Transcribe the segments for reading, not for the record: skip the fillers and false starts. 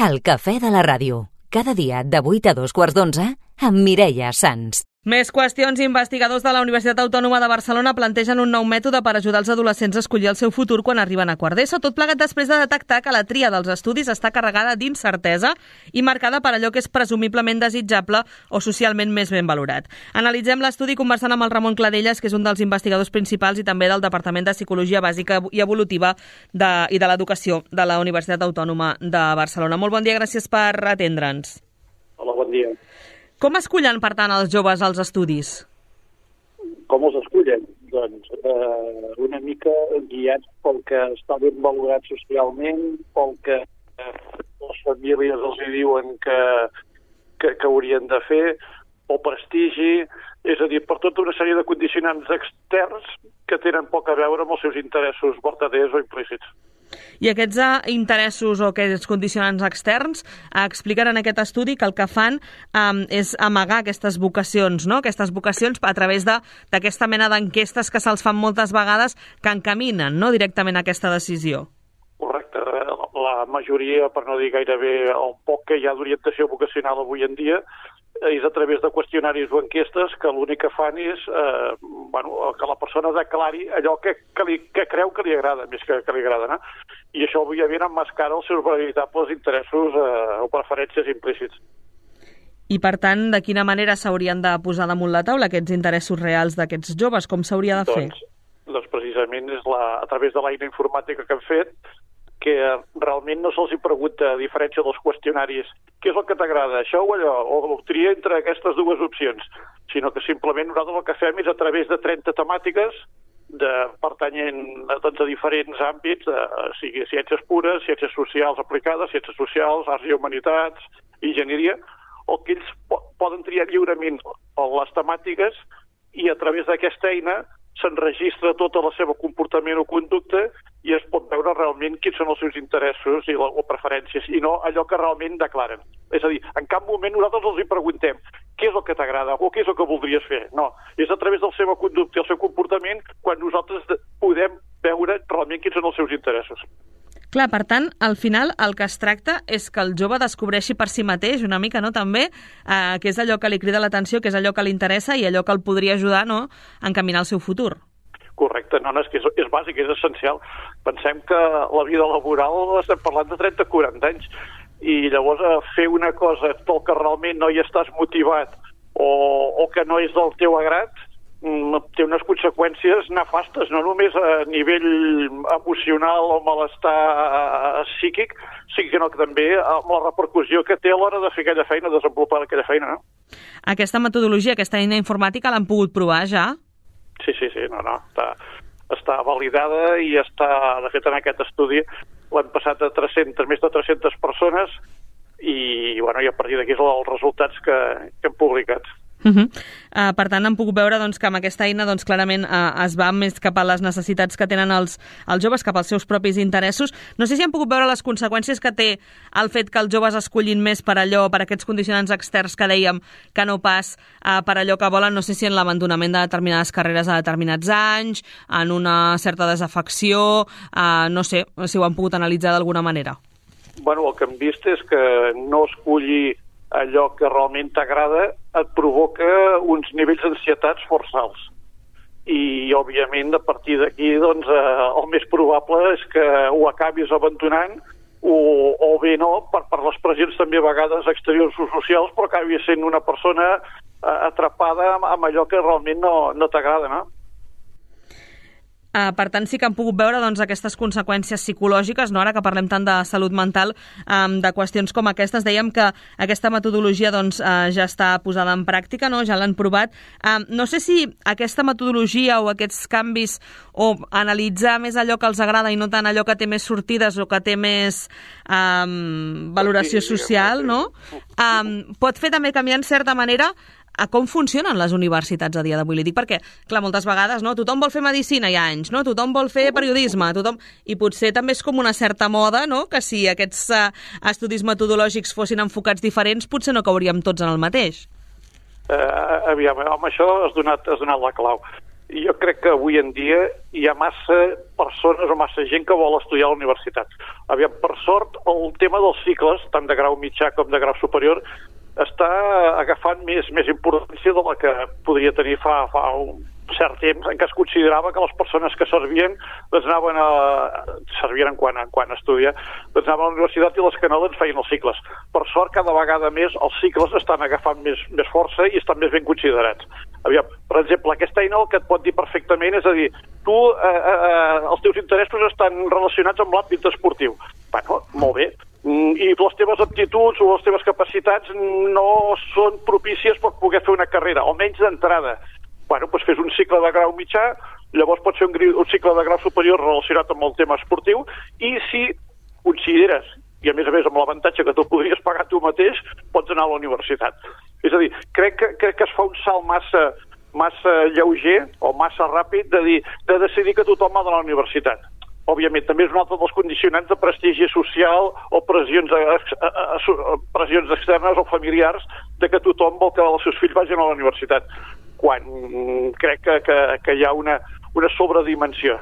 El cafè de la ràdio. Cada dia de 8 a 2:15 amb Mireia Sans. Més qüestions. Investigadors de la Universitat Autònoma de Barcelona plantegen un nou mètode per ajudar els adolescents a escollir el seu futur quan arriben a quart d'ESO, tot plegat després de detectar que la tria dels estudis està carregada d'incertesa i marcada per allò que és presumiblement desitjable o socialment més ben valorat. Analitzem l'estudi conversant amb el Ramon Cladelles, que és un dels investigadors principals i també del Departament de Psicologia Bàsica i Evolutiva i de l'Educació de la Universitat Autònoma de Barcelona. Molt bon dia, gràcies per atendre'ns. Hola, bon dia. Com escullen, per tant, els joves als estudis? Com els escullen? Doncs una mica guiats pel que està ben valorat socialment, pel que les famílies els diuen que haurien de fer, o prestigi, és a dir, per tota una sèrie de condicionants externs que tenen poc a veure amb els seus interessos vertaders o implícits. I aquests interessos o aquests condicionants externs expliquen en aquest estudi que el que fan és amagar aquestes vocacions, no? Aquestes vocacions a través d'aquesta mena d'enquestes que se'ls fan moltes vegades que encaminen, no?, directament a aquesta decisió. Correcte. La majoria, per no dir gairebé el poc que hi ha d'orientació vocacional avui en dia, és a través de qüestionaris o enquestes que l'únic que fan és que la persona declari allò que creu que li agrada, més que li agrada, no? I això, òbviament, emmascara els seus veritables interessos o preferències implícits. I, per tant, de quina manera s'haurien de posar damunt la taula aquests interessos reals d'aquests joves? Com s'hauria de fer? Doncs precisament és a través de l'eina informàtica que hem fet, que realment no se'ls pregunta, a diferència dels qüestionaris, què és el que t'agrada, això o allò, o tria entre aquestes dues opcions, sinó que simplement nosaltres el que fem és a través de 30 temàtiques pertanyent a diferents àmbits, sigui ciències pures, ciències socials aplicades, ciències socials, arts i humanitats, enginyeria, o que ells poden triar lliurement les temàtiques i a través d'aquesta eina s'enregistra tot el seu comportament o conducta i es pot veure realment quins són els seus interessos o preferències, i no allò que realment declaren. És a dir, en cap moment nosaltres els preguntem què és el que t'agrada o què és el que voldries fer. No, és a través de la seva conducta i el seu comportament quan nosaltres podem veure realment quins són els seus interessos. Clar, per tant, al final el que es tracta és que el jove descobreixi per si mateix una mica, no?, també, que és allò que li crida l'atenció, que és allò que li interessa i allò que el podria ajudar, no?, a encaminar el seu futur. Correcte, no, és que és bàsic, és essencial. Pensem que la vida laboral estem parlant de 30-40 anys i llavors fer una cosa pel que realment no hi estàs motivat o que no és del teu agrat té unes conseqüències nefastes, no només a nivell emocional o malestar psíquic, sinó que també amb la repercussió que té a l'hora de fer aquella feina, desenvolupar aquella feina, no? Aquesta metodologia, aquesta eina informàtica, l'han pogut provar ja? Sí, no, està validada i està, de fet, en aquest estudi l'han passat a més de 300 persones i a partir d'aquí són els resultats que hem publicat. Per tant, han pogut veure que amb aquesta eina clarament es va més cap a les necessitats que tenen els joves, cap als seus propis interessos. No sé si han pogut veure les conseqüències que té el fet que els joves escollin més per allò, per aquests condicionants externs que dèiem, que no pas per allò que volen, no sé si en l'abandonament de determinades carreres a determinats anys, en una certa desafecció, no sé si ho han pogut analitzar d'alguna manera. El que hem vist és que no escollir allò que realment t'agrada et provoca uns nivells d'ansietats força alts. I, òbviament, a partir d'aquí, el més probable és que ho acabis abandonant o bé no, per les pressions també a vegades exteriors o socials, però acabis sent una persona atrapada amb allò que realment no t'agrada, no? Per tant, sí que han pogut veure aquestes conseqüències psicològiques, no? Ara que parlem tant de salut mental, de qüestions com aquestes. Dèiem que aquesta metodologia ja està posada en pràctica, no? Ja l'han provat. No sé si aquesta metodologia o aquests canvis o analitzar més allò que els agrada i no tant allò que té més sortides o que té més valoració social, no? Pot fer també canviar en certa manera a com funcionen les universitats a dia d'avui. Li dic perquè, clar, moltes vegades, no? Tothom vol fer medicina hi ha anys, no? Tothom vol fer periodisme, i potser també és com una certa moda, no?, que si aquests estudis metodològics fossin enfocats diferents, potser no cauríem tots en el mateix. Aviam, amb això has donat la clau. jo crec que avui en dia hi ha massa persones o massa gent que vol estudiar a la universitat. Aviam, per sort, el tema dels cicles, tant de grau mitjà com de grau superior, està agafant més importància de la que podria tenir fa un cert temps, en què es considerava que les persones que servien servien quan estudia, anaven a la universitat i les que no feien els cicles. Per sort, cada vegada més els cicles estan agafant més força i estan més ben considerats. Aviam, per exemple, aquesta eina el que et pot dir perfectament és a dir, tu, els teus interessos estan relacionats amb l'àmbit esportiu. Bueno, molt bé. I les teves aptituds o les teves capacitats no són propícies per poder fer una carrera, almenys d'entrada. Bueno, doncs fes un cicle de grau mitjà, llavors pot ser un cicle de grau superior relacionat amb el tema esportiu, i si consideres, i a més amb l'avantatge que tu podries pagar tu mateix, pots anar a la universitat. És a dir, crec que es fa un salt massa lleuger o massa ràpid de decidir que tothom ha d'anar a la universitat. Òbviament, també és un altre dels condicionants de prestigi social o pressions externes o familiars de que tothom vol que els seus fills vagin a la universitat, quan crec que hi ha una sobredimensió.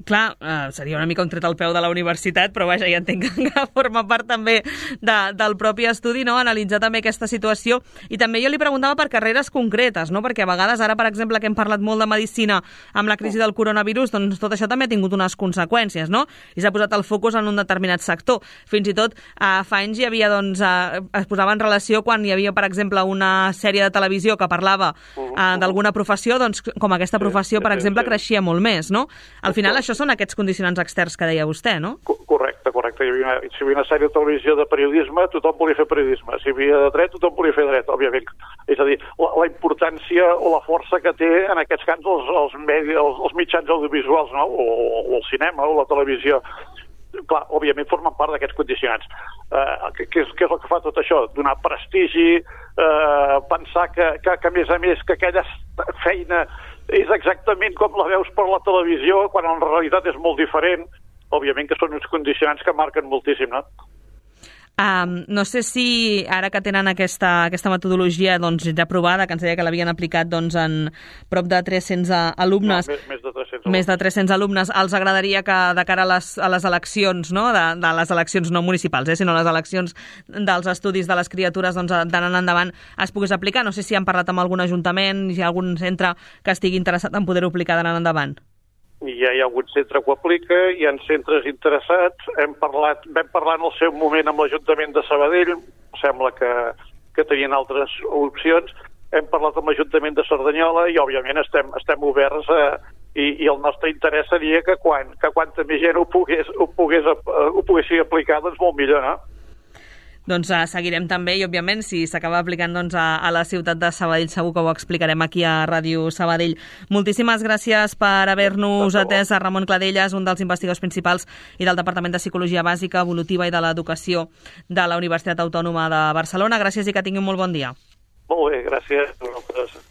Clar, seria una mica un tret al peu de la universitat, però vaja, ja entenc que forma part també del propi estudi, no?, analitzar també aquesta situació. I també jo li preguntava per carreres concretes, no?, perquè a vegades ara, per exemple, que hem parlat molt de medicina amb la crisi del coronavirus, doncs tot això també ha tingut unes conseqüències, no?, i s'ha posat el focus en un determinat sector. Fins i tot fa anys hi havia, doncs, es posava en relació quan hi havia, per exemple, una sèrie de televisió que parlava d'alguna professió, doncs com aquesta professió, per exemple, creixia molt més, no? Al final això són aquests condicionants externs que deia vostè, no? Correcte. Si hi havia una sèrie de televisió de periodisme, tothom volia fer periodisme. Si hi havia de dret, tothom volia fer dret, òbviament. És a dir, la importància o la força que té en aquests camps els mitjans audiovisuals, no?, o el cinema o la televisió. Clar, òbviament formen part d'aquests condicionants. Què és el que fa tot això? Donar prestigi, pensar que a més, que aquella feina és exactament com la veus per la televisió, quan en realitat és molt diferent. Òbviament que són uns condicionants que marquen moltíssim, no? No sé si ara que tenen aquesta metodologia doncs, ja aprovada, que ens deia que l'havien aplicat doncs, en prop de 300 alumnes, més de 300 alumnes, els agradaria que de cara a les eleccions, no? De les eleccions no municipals, sinó les eleccions dels estudis de les criatures doncs, d'anant endavant es pogués aplicar. No sé si han parlat amb algun ajuntament, si hi ha algun centre que estigui interessat en poder-ho aplicar d'anant endavant. Ja hi ha algun centre que ho aplica, hi ha centres interessats. Vam parlar en el seu moment amb l'Ajuntament de Sabadell, sembla que tenien altres opcions. Hem parlat amb l'Ajuntament de Cerdanyola i, òbviament, estem oberts i el nostre interès seria que quanta més gent ho poguessi aplicar, doncs molt millor, no? Doncs seguirem també i, òbviament, si s'acaba aplicant doncs, a la ciutat de Sabadell, segur que ho explicarem aquí a Ràdio Sabadell. Moltíssimes gràcies per haver-nos atès a Ramon Cladellas, un dels investigadors principals i del Departament de Psicologia Bàsica, Evolutiva i de l'Educació de la Universitat Autònoma de Barcelona. Gràcies i que tingui un molt bon dia. Molt bé, gràcies a vosaltres.